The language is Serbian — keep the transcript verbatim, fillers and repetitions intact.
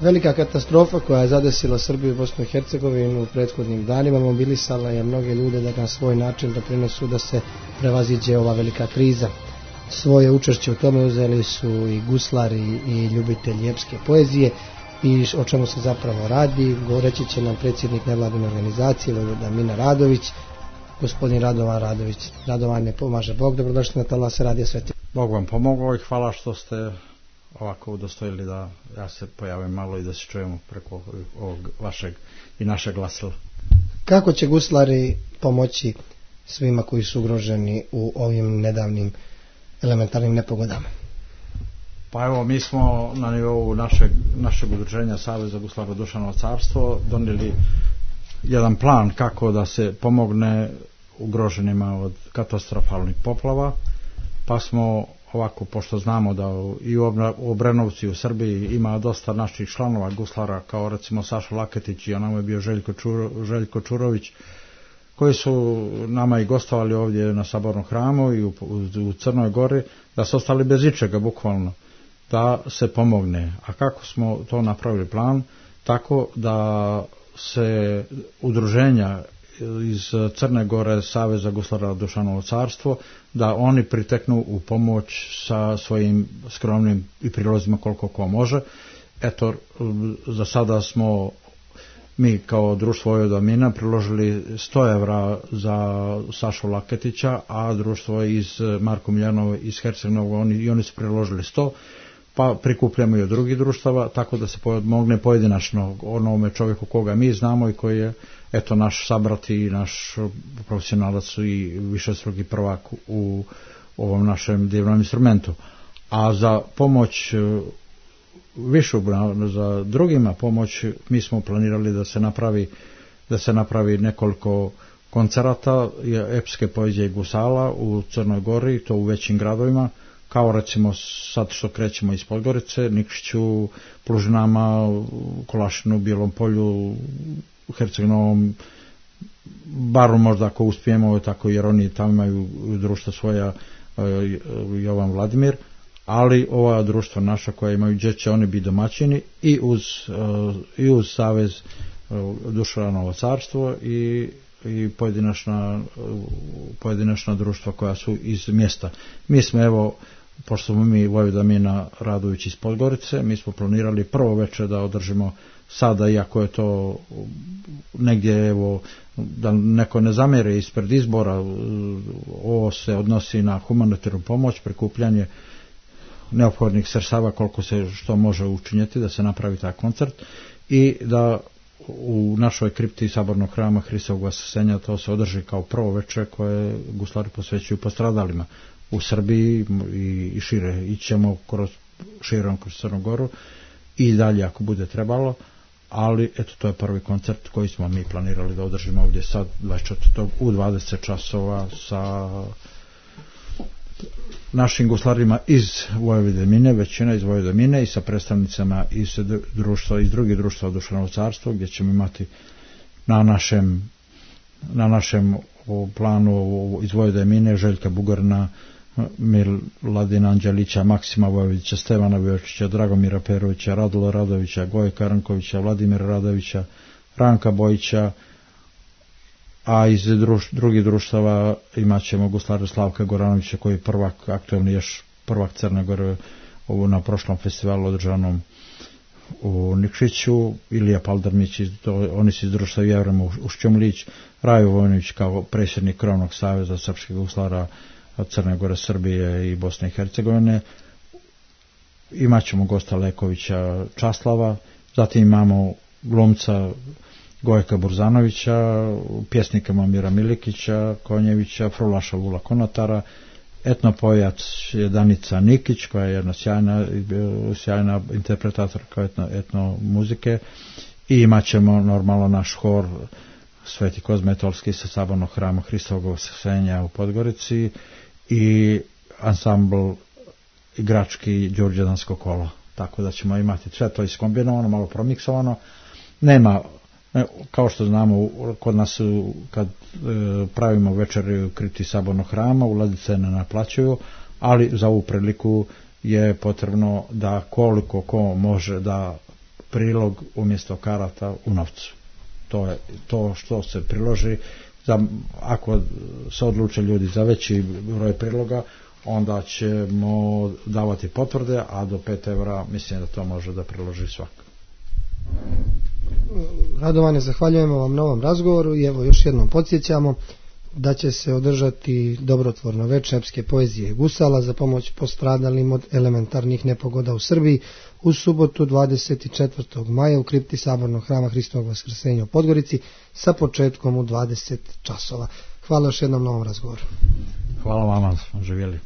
Velika katastrofa koja je zadesila Srbiju i Bosnu i Hercegovinu u prethodnim danima mobilisala je mnoge ljude da na svoj način doprinesu da se prevaziđe ova velika kriza. Svoje učešće u tome uzeli su i guslari i ljubitelji epske poezije. I o čemu se zapravo radi, govoreći će nam predsjednik nevladine organizacije Vojvoda Mina Radović, gospodin Radovan Radović. Radovan, ne pomaže Bog, dobrodošli na Talase Radija Sveti. Bog vam pomogao i hvala što ste ovako udostojili da ja se pojavim malo i da se čujemo preko ovog vašeg i našeg glasila. Kako će guslari pomoći svima koji su ugroženi u ovim nedavnim elementarnim nepogodama? Pa evo, mi smo na nivou našeg, našeg udruženja Saveza guslara Dušanovo carstvo donijeli jedan plan kako da se pomogne ugroženima od katastrofalnih poplava, pa smo ovako, pošto znamo da i u Obrenovcu i u Srbiji ima dosta naših članova guslara, kao recimo Saša Laketić i onamo je bio Željko, Čuro, Željko Čurović, koji su nama i gostovali ovdje na Sabornom hramu i u, u, u Crnoj Gori, da su ostali bez ičega bukvalno, da se pomogne. A kako smo to napravili plan? Tako da se udruženja iz Crne Gore, Saveza guslara Dušanovo carstvo, da oni priteknu u pomoć sa svojim skromnim i prilozima koliko ko može. Eto, za sada smo mi kao društvo Vojvoda Mina priložili sto evra za Sašu Laketića, a društvo iz Marko Miljanova iz Herceg-Novog, oni, i oni su priložili sto, pa prikupljamo i od drugih društava, tako da se pomogne pojedinačno onome čovjeku koga mi znamo i koji je eto naš sabrat i naš profesionalac i višestruki prvak u ovom našem divnom instrumentu. A za pomoć višu, za drugima pomoć, mi smo planirali da se napravi da se napravi nekoliko koncerata epske poezije i gusala u Crnoj Gori, to u većim gradovima, kao recimo sad što krećemo iz Podgorice, Nikšiću, Plužinama, Kolašinu, Bijelom Polju, Herceg-Novom, Baru možda ako uspijemo, tako jer oni tamo imaju društva svoja, Jovan Vladimir, ali ova društva naša koja imaju gdje će oni biti domaćini i uz, i uz Savez Dušanovo carstvo i i pojedinačna, pojedinačna društva koja su iz mjesta. Mi smo evo, pošto smo mi Vojvoda Mina Radović iz Podgorice, mi smo planirali prvo večer da održimo sada, iako je to negdje, evo, da neko ne zamjeri ispred izbora, ovo se odnosi na humanitarnu pomoć, prikupljanje neophodnih sredstava koliko se što može učiniti da se napravi taj koncert i da u našoj kripti Sabornog hrama Hristovog Vaskrsenja to se održi kao prvo večer koje guslari posvećuju postradalima u Srbiji i, i šire. Ićemo kroz, širom kroz Crnu Goru i dalje ako bude trebalo, ali eto to je prvi koncert koji smo mi planirali da održimo ovdje sad dvadeset četvrtog u dvadeset časova sa našim guslarima iz Vojvode Mine, većina iz Vojvode Mine i sa predstavnicama iz društva, iz drugih društva Dušanovo carstvo, gdje ćemo imati na našem na našem planu iz Vojvode Mine Željka Bugarina, Miladina Anđelića, Maksima Vojvodića, Stevana Vjočića, Dragomira Perovića, Radula Radovića, Gojka Rankovića, Vladimira Radovića, Ranka Bojića, a iz druš, drugih društava imat ćemo guslara Slavka Goranovića koji je prvak, aktualni još prvak Crne Gore ovo na prošlom festivalu održanom u Nikšiću, Ilija Paldarmić, to, oni su iz društva Jevrema Ušćomlić, Rajo Vojnović kao predsjednik Krovnog saveza srpskih guslara Crne Gore, Srbije i Bosne i Hercegovine. Imat ćemo gosta Lekovića Časlava, zatim imamo glumca Gojka Burzanovića, pjesnika Momira Milikića, Konjevića, Frulaša Vula Konotara, etnopojac je Danica Nikić, koja je jedna sjajna, sjajna interpretatorka etno, etno muzike, i imat ćemo normalno naš hor Sveti Kozma Etolski sa Sabornog hrama Hristovog Vaskrsenja u Podgorici i ansambl igrački Đurđedansko kolo. Tako da ćemo imati sve to iskombinovano, malo promiksovano. Nema, kao što znamo, kod nas kad e, pravimo večeri u kripti Sabornog hrama, ulaznice ne naplaćuju, ali za ovu priliku je potrebno da koliko ko može da prilog umjesto karata u novcu. To je to što se priloži. Za, ako se odluče ljudi za veći broj priloga, onda ćemo davati potvrde, a do pet evra mislim da to može da priloži svak. Radovane, zahvaljujemo vam na ovom razgovoru i evo još jednom podsjećamo da će se održati dobrotvorno veče epske poezije i gusala za pomoć postradalim od elementarnih nepogoda u Srbiji u subotu dvadeset četvrtog maja u kripti Sabornog hrama Hristovog Vaskrsenja u Podgorici sa početkom u dvadeset časova. Hvala još jednom na ovom razgovoru. Hvala vama, živjeli.